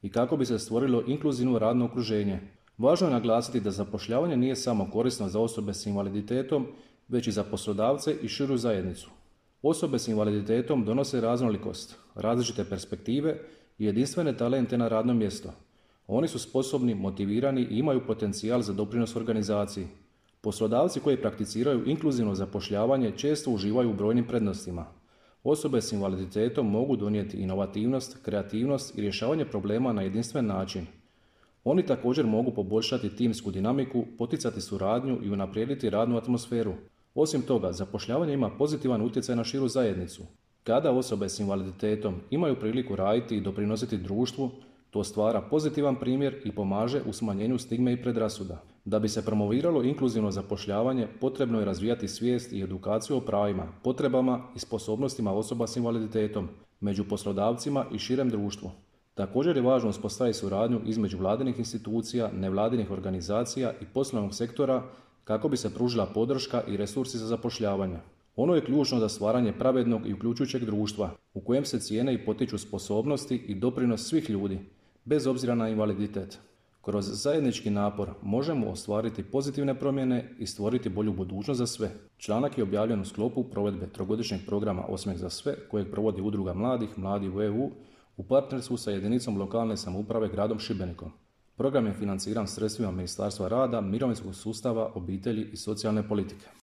i kako bi se stvorilo inkluzivno radno okruženje. Važno je naglasiti da zapošljavanje nije samo korisno za osobe s invaliditetom, već i za poslodavce i širu zajednicu. Osobe s invaliditetom donose raznolikost, različite perspektive i jedinstvene talente na radnom mjestu. Oni su sposobni, motivirani i imaju potencijal za doprinos organizaciji. Poslodavci koji prakticiraju inkluzivno zapošljavanje često uživaju u brojnim prednostima. Osobe s invaliditetom mogu donijeti inovativnost, kreativnost i rješavanje problema na jedinstven način. Oni također mogu poboljšati timsku dinamiku, poticati suradnju i unaprijediti radnu atmosferu. Osim toga, zapošljavanje ima pozitivan utjecaj na širu zajednicu. Kada osobe s invaliditetom imaju priliku raditi i doprinositi društvu, to stvara pozitivan primjer i pomaže u smanjenju stigme i predrasuda. Da bi se promoviralo inkluzivno zapošljavanje, potrebno je razvijati svijest i edukaciju o pravima, potrebama i sposobnostima osoba s invaliditetom među poslodavcima i širem društvu. Također je važno uspostaviti suradnju između vladinih institucija, nevladinih organizacija i poslovnog sektora kako bi se pružila podrška i resursi za zapošljavanje. Ono je ključno za stvaranje pravednog i uključujućeg društva u kojem se cijene i potiču sposobnosti i doprinos svih ljudi, bez obzira na invaliditet. Kroz zajednički napor možemo ostvariti pozitivne promjene i stvoriti bolju budućnost za sve. Članak je objavljen u sklopu provedbe trogodišnjeg programa Osmeh za sve kojeg provodi Udruga mladih, Mladi u EU, u partnerstvu sa jedinicom lokalne samouprave gradom Šibenikom. Program je financiran sredstvima Ministarstva rada, mirovinskog sustava, obitelji i socijalne politike.